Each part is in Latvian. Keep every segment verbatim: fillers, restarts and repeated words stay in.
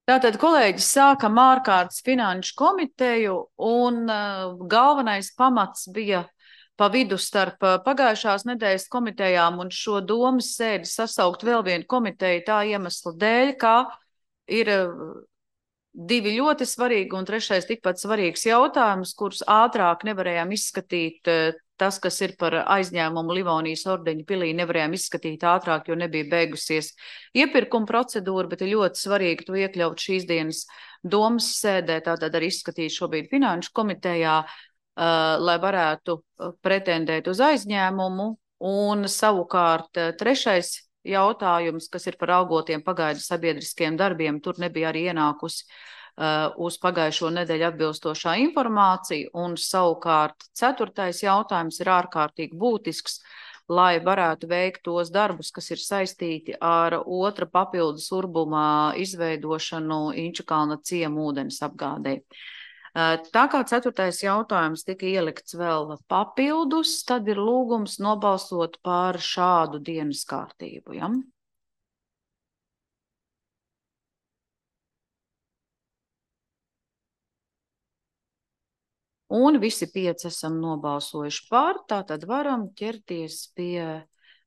Tātad, kolēģi, sākam ārkārtas finanšu komiteju, un uh, galvenais pamats bija pa vidu starp uh, pagājušās nedēļas komitejām un šo domas sēdi sasaukt vēl vienu komiteju tā iemesla dēļ, kā ir uh, divi ļoti svarīgi un trešais tikpat svarīgs jautājums, kurus ātrāk nevarējām izskatīt. Uh, tas, kas ir par aizņēmumu Livonijas ordeņa pilī, nevarējām izskatīt ātrāk, jo nebija beigusies iepirkuma procedūra, bet ir ļoti svarīgi to iekļaut šīs dienas domas sēdē, tātad arī izskatīt šobrīd finanšu komitejā, uh, lai varētu pretendēt uz aizņēmumu. Un savukārt trešais jautājums, kas ir par algotiem pagaidu sabiedriskiem darbiem, tur nebija arī ienākusi uh, uz pagājušo nedēļu atbilstošā informācija. Un savukārt ceturtais jautājums ir ārkārtīgi būtisks, lai varētu veikt tos darbus, kas ir saistīti ar otra papildus urbumā izveidošanu Inčukalna ciema ūdens apgādē. Tā kā ceturtais jautājums tika ielikts vēl papildus, tad ir lūgums nobalsot par šādu dienas kārtību. Ja? Un visi pieci esam nobalsojuši par, tātad varam ķerties pie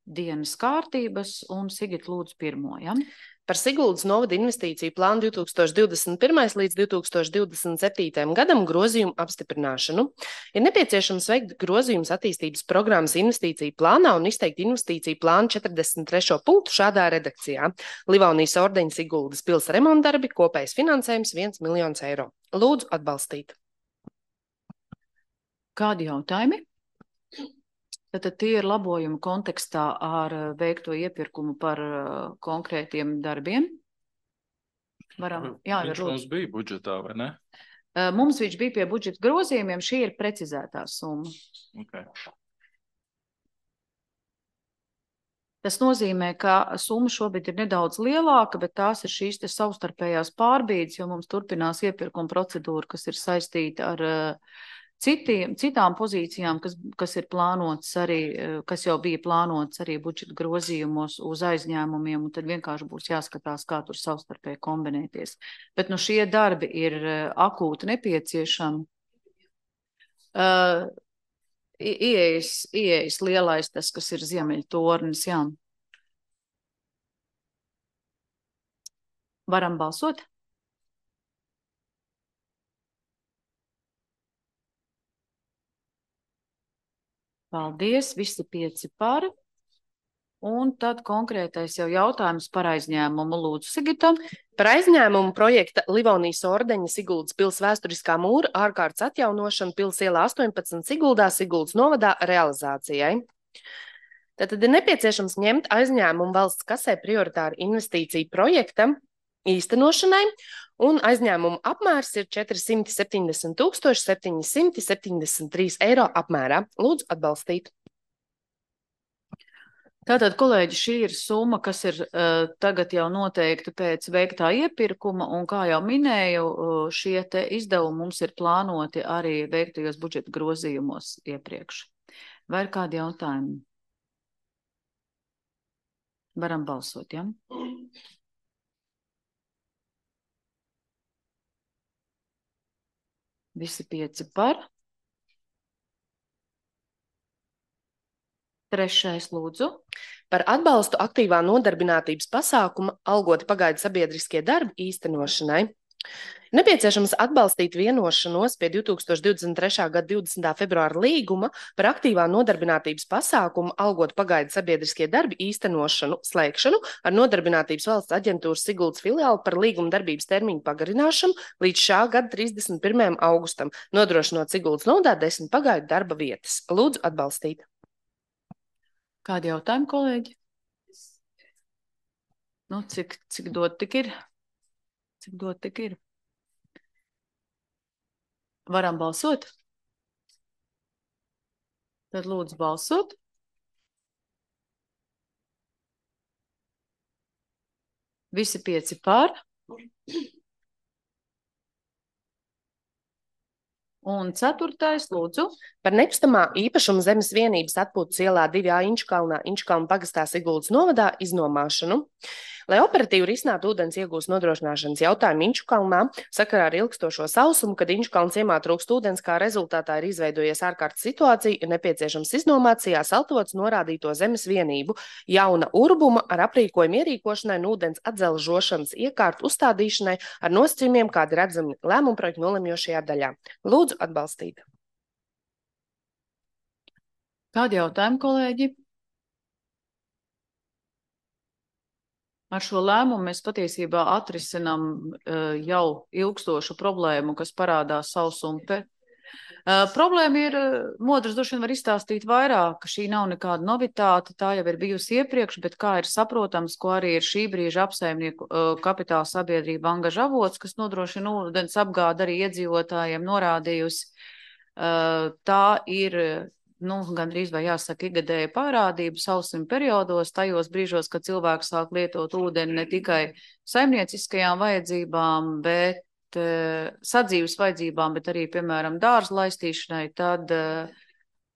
dienas kārtības, un Sigit lūdzu pirmo. Ja? Par Siguldas novada investīciju plānu divi tūkstoši divdesmit pirmais līdz divi tūkstoši divdesmit septītajam gadam grozījumu apstiprināšanu. Ir nepieciešams veikt grozījumus attīstības programmas investīciju plānā un izteikt investīciju plānu četrdesmit trešo punktu šādā redakcijā. Livonijas ordeņa Siguldas pils remontdarbi, kopējs finansējums viens miljons eiro. Lūdzu atbalstīt. Kādi jautājumi? Tātad tie ir labojumi kontekstā ar veikto iepirkumu par konkrētiem darbiem. Varam, jā, viņš mums bija budžetā, vai ne? Mums viņš bija pie budžeta grozījumiem, šī ir precizētā summa. Okay. Tas nozīmē, ka summa šobrīd ir nedaudz lielāka, bet tās ir šīs te savstarpējās pārbīdes, jo mums turpinās iepirkuma procedūra, kas ir saistīta ar Citiem, citām pozīcijām, kas, kas ir plānotas arī, kas jau bija plānotas arī budžeta grozījumos uz aizņēmumiem, un tad vienkārši būs jāskatās, kā tur savstarpēji kombinēties. Bet nu šie darbi ir akūti nepieciešami. Uh, ieejas, ieejas lielais tas, kas ir Ziemeļtornis, jā. Varam balsot? Paldies, visi pieci par. Un tad konkrētais jau jautājums par aizņēmumu. Lūdzu, Sigita. Par aizņēmumu projekta Livonijas ordeņa Siguldas pils vēsturiskā mūra ārkārtas atjaunošanu pils ielā astoņpadsmit Siguldā, Siguldas novadā realizācijai. Tātad ir nepieciešams ņemt aizņēmumu valsts kasē prioritāru investīciju projekta īstenošanai, un aizņēmumu apmērs ir četri simti septiņdesmit tūkstoši septiņi simti septiņdesmit trīs eiro apmērā. Lūdzu atbalstīt. Tātad, kolēģi, šī ir summa, kas ir uh, tagad jau noteikta pēc veiktā iepirkuma, un kā jau minēju, uh, šie te izdevumi mums ir plānoti arī veiktajos budžeta grozījumos iepriekš. Vai ir kādi jautājumi? Varam balsot, ja? Visi pieci par. Trešais lūdzu. Par atbalstu aktīvā nodarbinātības pasākuma algoti pagaidu sabiedriskie darbi īstenošanai. Nepieciešams atbalstīt vienošanos pie divi tūkstoši divdesmit trešā gada divdesmitā februāra līguma par aktīvā nodarbinātības pasākumu algot pagaidu sabiedriskie darbi īstenošanu slēgšanu ar Nodarbinātības valsts aģentūras Siguldas filiāli par līguma darbības termiņu pagarināšanu līdz šā gada trīsdesmit pirmajam augustam, nodrošinot Siguldas novadā desmit pagaidu darba vietas. Lūdzu atbalstīt. Kādi jautājumi, kolēģi? Nu, cik, cik dot tik ir? Cik dot tik ir? Varam balsot? Tad lūdzu balsot. Visi pieci par. Un ceturtais, lūdzu. Par nekustamā īpašuma zemes vienības atpūtas ielā divi A Inčukalnā, Inčukalna pagastā Siguldas novadā iznomāšanu. Lai operatīvi risinātu ūdens iegūst nodrošināšanas jautājumu Inčukalnā, sakarā ar ilgstošo sausumu, kad Inčukalna ciemā trūkst ūdens, kā rezultātā ir izveidojies ārkārtas situācija, ir nepieciešams iznomāt Sijā Saltots norādīto zemes vienību jauna urbuma ar aprīkojumu ierīkošanai un ūdens atzelžošanas iekārtu uzstādīšanai ar nosacījumiem, kādi redzami lēmuma projekta nolemjošajā daļā. Lūdzu atbalstīt. Kādi jautājumi, kolēģi? Ar šo lēmumu mēs patiesībā atrisinām uh, jau ilgstošu problēmu, kas parādās sausuma. Uh, problēma ir, uh, Modrs droši vien var izstāstīt vairāk, ka šī nav nekāda novitāte, tā jau ir bijusi iepriekš, bet kā ir saprotams, ko arī ir šī brīža apsaimnieku uh, kapitāla sabiedrība Angaža avots, kas nodrošina ūdens apgādi arī iedzīvotājiem norādījusi. Uh, tā ir nu, gandrīz vai jāsaka ikgadēja parādība sausuma periodos, tajos brīžos, kad cilvēks sāk lietot ūdeni ne tikai saimnieciskajām vajadzībām, bet uh, sadzīves vajadzībām, bet arī, piemēram, dārza laistīšanai, tad uh,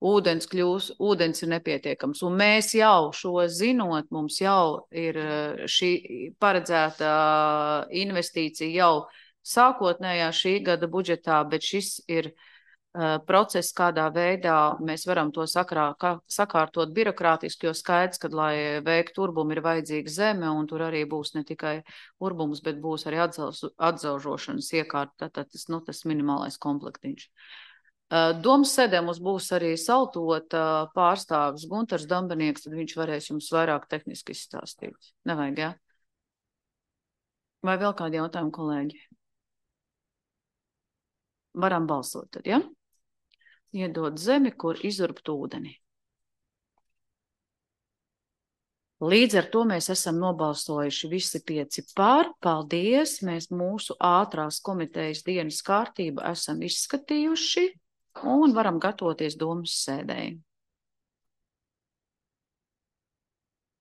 ūdens kļūs, ūdens ir nepietiekams. Un mēs jau šo zinot, mums jau ir uh, šī paredzēta investīcija jau sākotnējā šī gada budžetā, bet šis ir process, kādā veidā mēs varam to sakrā, kā, sakārtot birokrātiski, jo skaidrs, ka, lai veiktu urbumu, ir vajadzīga zeme, un tur arī būs ne tikai urbums, bet būs arī atzelz, atzelžošanas iekārta, tātad tas, nu, tas minimālais komplektiņš. Domas sēdē mums būs arī Saltot pārstāvis Guntars Dambenieks, tad viņš varēs jums vairāk tehniski izstāstīt. Nevajag, jā? Vai vēl kādi jautājumi, kolēģi? Varam balsot tad, ja? Iedot zemi, kur izurbt ūdeni. Līdz ar to mēs esam nobalsojuši visi pieci pār. Paldies! Mēs mūsu ātrās komitejas dienas kārtību esam izskatījuši un varam gatavoties domas sēdēji.